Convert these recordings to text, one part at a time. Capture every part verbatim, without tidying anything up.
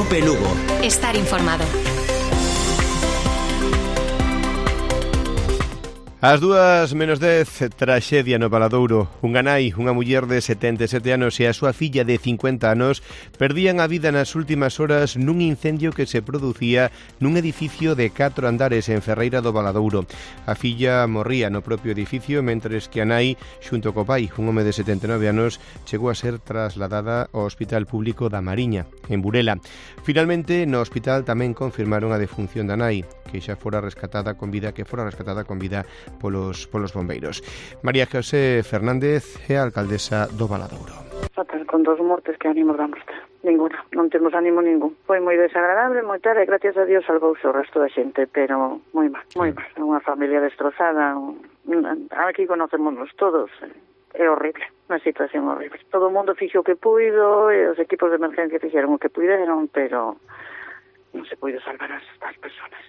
Cope Lugo. Estar informado. As dúas menos dez, traxedia no Valadouro. Unha nai, unha muller de setenta e sete anos e a súa filla de cincuenta anos perdían a vida nas últimas horas nun incendio que se producía nun edificio de catro andares en Ferreira do Valadouro. A filla morría no propio edificio, mentres que a nai, xunto co pai, un home de setenta e nove anos, chegou a ser trasladada ao Hospital Público da Mariña, en Burela. Finalmente, no hospital tamén confirmaron a defunción da nai, que xa fora rescatada con vida, que fora rescatada con vida polos, polos bombeiros. María José Fernández é a alcaldesa do Valadouro. Fatal, con dos mortes, que ánimo damos? Ninguna, non temos ánimo ningún. Foi moi desagradable, moi tarde, e gracias a Dios salvouse o resto da xente, pero moi mal, moi mal. Unha familia destrozada, un... aquí conocémonos todos, é horrible, unha situación horrible. Todo o mundo fixo o que puido, e os equipos de emergencia fixeron o que puideron, pero non se puido salvar as, as personas.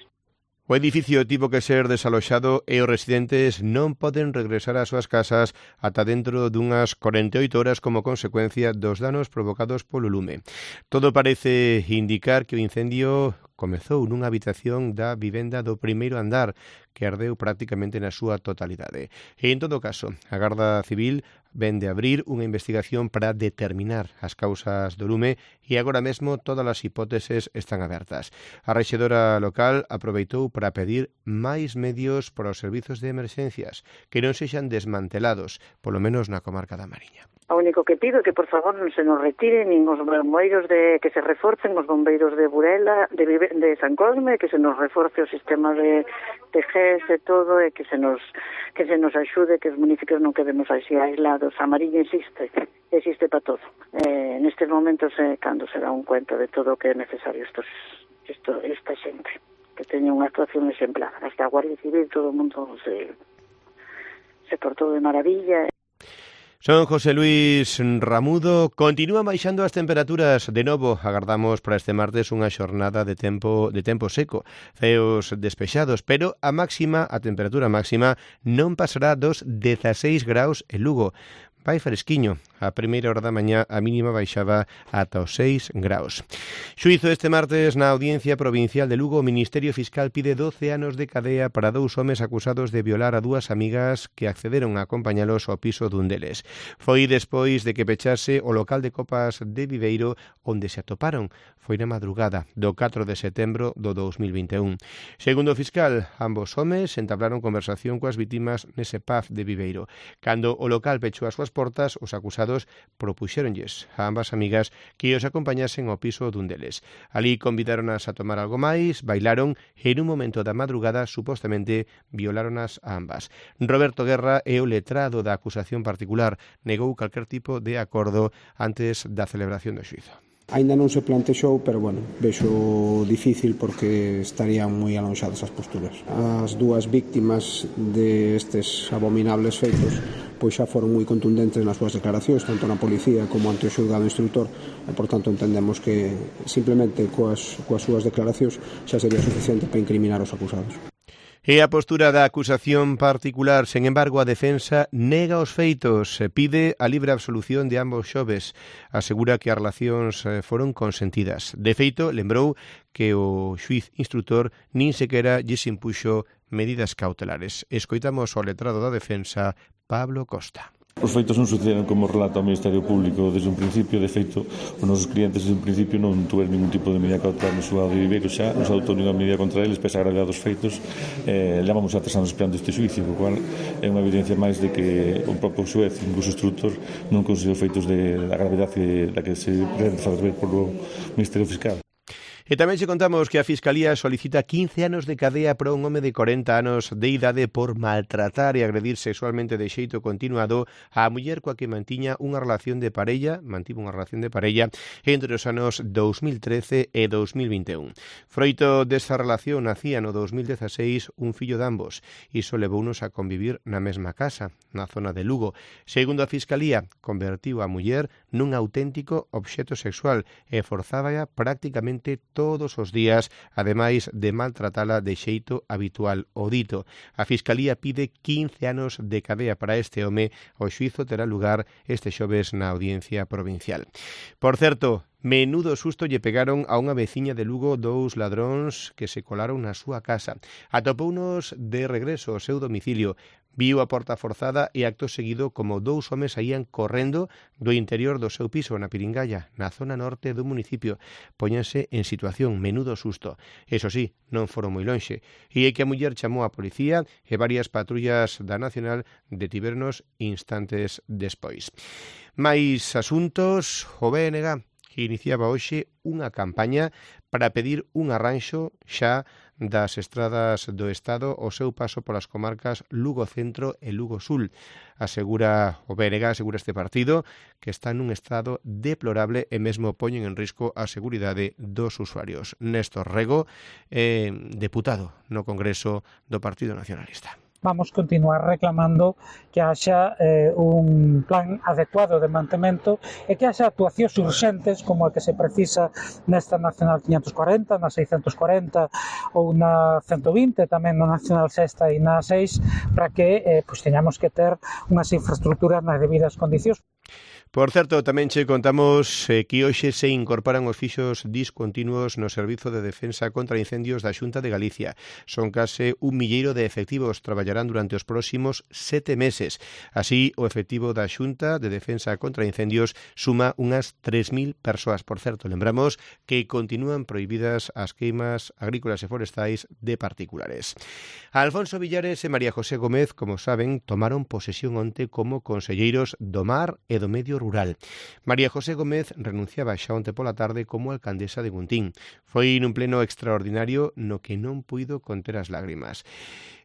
O edificio tivo que ser desaloxado e os residentes non poden regresar ás súas casas ata dentro dunhas corenta e oito horas como consecuencia dos danos provocados polo lume. Todo parece indicar que o incendio comezou nunha habitación da vivenda do primeiro andar, que ardeu prácticamente na súa totalidade. E, en todo caso, a Garda Civil ven de abrir unha investigación para determinar as causas do lume e agora mesmo todas as hipóteses están abertas. A rexedora local aproveitou para pedir máis medios para os servizos de emerxencias, que non sexan desmantelados, polo menos na comarca da Mariña. O único que pido é que, por favor, non se nos retiren nin os bombeiros, de que se reforcen os bombeiros de Burela, de, de San Cosme, que se nos reforce o sistema de, de G E S e todo, e que se nos que se nos axude, que os municipios non quedemos así aislados. A Mariña existe, existe para todo. Eh, nestes momentos, eh, cando se dá un cuenta de todo o que é necesario estos, esto, esta xente, que teña unha actuación exemplar. Hasta a Guardia Civil, todo o mundo se, se portou de maravilla. Son José Luis Ramudo. Continúan baixando as temperaturas. De novo, agardamos para este martes unha xornada de tempo de tempo seco, ceos despexados, pero a máxima, a temperatura máxima non pasará dos dezaseis graus en Lugo. Vai fresquiño. A primeira hora da mañá a mínima baixaba ata os seis graus. Xuízo este martes na Audiencia Provincial de Lugo. O Ministerio Fiscal pide doce anos de cadea para dous homes acusados de violar a dúas amigas que accederon a acompañalos ao piso dun deles. Foi despois de que pechase o local de copas de Viveiro onde se atoparon. Foi na madrugada do catro de setembro do dous mil vinte e un. Segundo o fiscal, ambos homes entablaron conversación coas vítimas nese pub de Viveiro. Cando o local pechou as súas portas, os acusados propuxéronlles a ambas amigas que os acompañasen ao piso dun deles. Alí convidáronas a tomar algo máis, bailaron e en un momento da madrugada supostamente violáronas a ambas. Roberto Guerra é o letrado da acusación particular, negou calquer tipo de acordo antes da celebración do xuízo. Ainda non se plantexou, pero bueno, vexo difícil porque estarían moi alonxadas as posturas. As dúas víctimas destes abominables feitos pois xa foron moi contundentes nas súas declaracións, tanto na policía como ante o xulgado instructor, e por tanto entendemos que simplemente coas, coas súas declaracións xa sería suficiente para incriminar os acusados. E a postura da acusación particular, sen embargo, a defensa nega os feitos, pide a libre absolución de ambos xoves, asegura que as relacións foron consentidas. De feito, lembrou que o xuíz instructor nin sequera lles impuxo medidas cautelares. Escoitamos ao letrado da defensa, Pablo Costa. Os feitos non sucederon como relata o Ministerio Público desde un principio. De feito, os nosos clientes desde un principio non tuveron ningún tipo de medida cautelar no xulgado de Viveiro. Xa nos adoptou ninguna medida contra eles, pese a gravedade dos feitos. Eh, levamos a tres anos esperando este xuicio, o cual é unha evidencia máis de que o propio xuez, incluso o instructor, non considerou feitos de da gravedade da que se pretende fazer ver polo Ministerio Fiscal. E tamén se contamos que a Fiscalía solicita quince anos de cadea para un home de corenta anos de idade por maltratar e agredir sexualmente de xeito continuado a muller coa que mantiña unha relación de parella, mantivo unha relación de parella entre os anos dous mil trece e dous mil vinte e un. Froito desta relación nacía no dous mil dezaseis un fillo de ambos. Iso levounos a convivir na mesma casa, na zona de Lugo. Segundo a Fiscalía, convertiu a muller nun auténtico obxeto sexual e forzábaa prácticamente todos os días, ademais de maltratala de xeito habitual o dito. A Fiscalía pide quince anos de cadea para este home. O xuízo terá lugar este xoves na Audiencia Provincial. Por certo, Menudo susto lle pegaron a unha veciña de Lugo dous ladróns que se colaron na súa casa. Atopounos de regreso ao seu domicilio. Viu a porta forzada e acto seguido como dous homes saían correndo do interior do seu piso na Piringalla, na zona norte do municipio. Póñanse en situación, menudo susto. Eso sí, non foron moi lonxe. E é que a muller chamou a policía e varias patrullas da Nacional detivernos instantes despois. Mais asuntos, o B N G que iniciaba hoxe unha campaña para pedir un arranxo xa das estradas do Estado ao seu paso polas comarcas Lugo Centro e Lugo Sul. Asegura o B N G, asegura este partido, que está nun estado deplorable e mesmo poñen en risco a seguridade dos usuarios. Néstor Rego, eh, deputado no Congreso do Partido Nacionalista. Vamos continuar reclamando que haxa eh, un plan adecuado de mantemento e que haxa actuacións urxentes como a que se precisa nesta Nacional quinhentos cuarenta, na seiscentos cuarenta ou na ciento vinte, tamén na Nacional Sexta e na seis, para que eh, pues, teñamos que ter unhas infraestructuras nas debidas condicións. Por certo, tamén che contamos eh, que hoxe se incorporan os fixos discontinuos no Servizo de Defensa contra Incendios da Xunta de Galicia. Son case un milleiro de efectivos, traballarán durante os próximos sete meses. Así, o efectivo da Xunta de Defensa contra Incendios suma unhas tres mil persoas. Por certo, lembramos que continúan prohibidas as queimas agrícolas e forestais de particulares. Alfonso Villares e María José Gómez, como saben, tomaron posesión onte como conselleiros do Mar e do Medio Rural. María José Gómez renunciaba xa onte pola tarde como alcaldesa de Guntín. Foi nun pleno extraordinario no que non puido conter as lágrimas.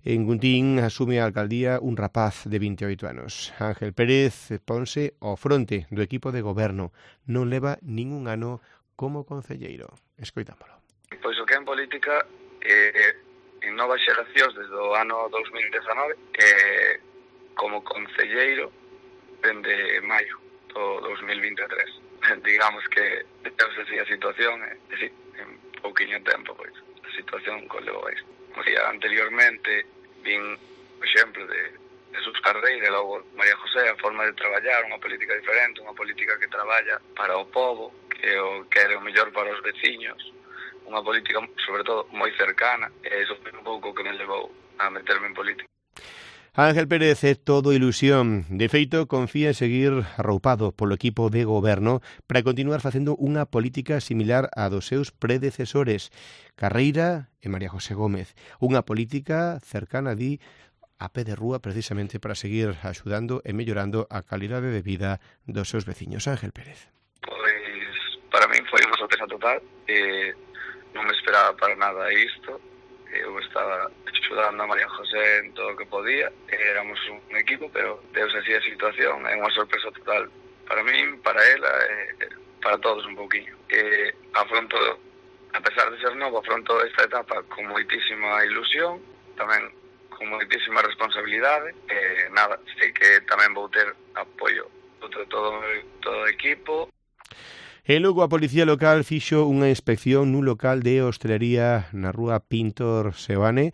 En Guntín asume a alcaldía un rapaz de vinte e oito anos. Ángel Pérez ponse ao fronte do equipo de goberno. Non leva ningún ano como concelleiro. Escoitámolo. Pois o que en política eh, en novas xeracións desde o ano dos mil dezanove eh, como concelleiro dende maio do dos mil vinte e tres. Digamos que deus así a situación e, eh, sí, en pouquiño tempo, pois, a situación conlevou a isto. Como día anteriormente, vin o exemplo de Jesús Carreira e logo María José, a forma de traballar, unha política diferente, unha política que traballa para o povo, que o quere o mellor para os veciños, unha política, sobre todo, moi cercana, e iso foi un pouco que me levou a meterme en política. Ángel Pérez é todo ilusión. De feito, confía en seguir arroupado polo equipo de goberno para continuar facendo unha política similar á dos seus predecesores, Carreira e María José Gómez. Unha política cercana, di, a pé de rúa precisamente para seguir axudando e mellorando a calidade de vida dos seus veciños. Ángel Pérez. Pois, para min foi unha sorpresa total. Eh, non me esperaba para nada isto. Eu estaba axudando a María José en todo o que podía, éramos un equipo, pero deus así a situación, é unha sorpresa total para min, para ela, e para todos un pouquiño. E afronto, a pesar de ser novo, afronto esta etapa con moitísima ilusión, tamén con moitísima responsabilidade, e nada, sei que tamén vou ter apoio de todo, todo o equipo. E logo a Policía Local fixo unha inspección nun local de hostelería na rúa Pintor Seoane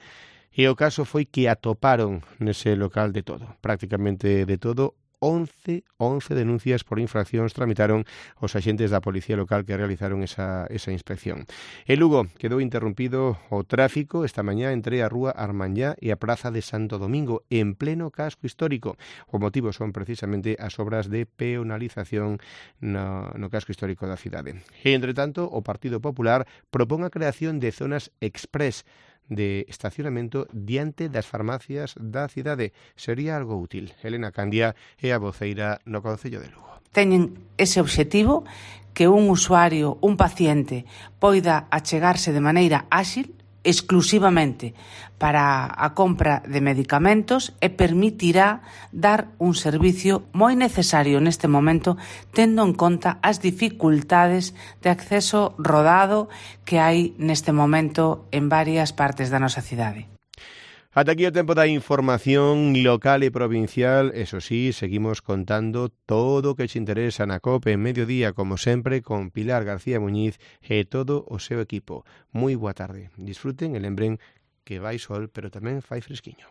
e o caso foi que atoparon nese local de todo, prácticamente de todo. once, once denuncias por infraccións tramitaron os axentes da Policía Local que realizaron esa, esa inspección. En Lugo quedou interrompido o tráfico esta mañá entre a rúa Armanyá e a praza de Santo Domingo en pleno casco histórico. O motivo son precisamente as obras de peonalización no, no casco histórico da cidade. E, entre tanto, o Partido Popular propón a creación de zonas express de estacionamento diante das farmacias da cidade. Sería algo útil. Elena Candia é a voceira no Concello de Lugo. Teñen ese obxectivo que un usuario, un paciente, poida achegarse de maneira áxil exclusivamente para a compra de medicamentos e permitirá dar un servicio moi necesario neste momento, tendo en conta as dificultades de acceso rodado que hai neste momento en varias partes da nosa cidade. Ata aquí o tempo da información local e provincial. Eso sí, seguimos contando todo o que te interesa na COPE en mediodía, como sempre, con Pilar García Muñiz e todo o seu equipo. Moi boa tarde. Disfruten e lembren que vai sol, pero tamén fai fresquiño.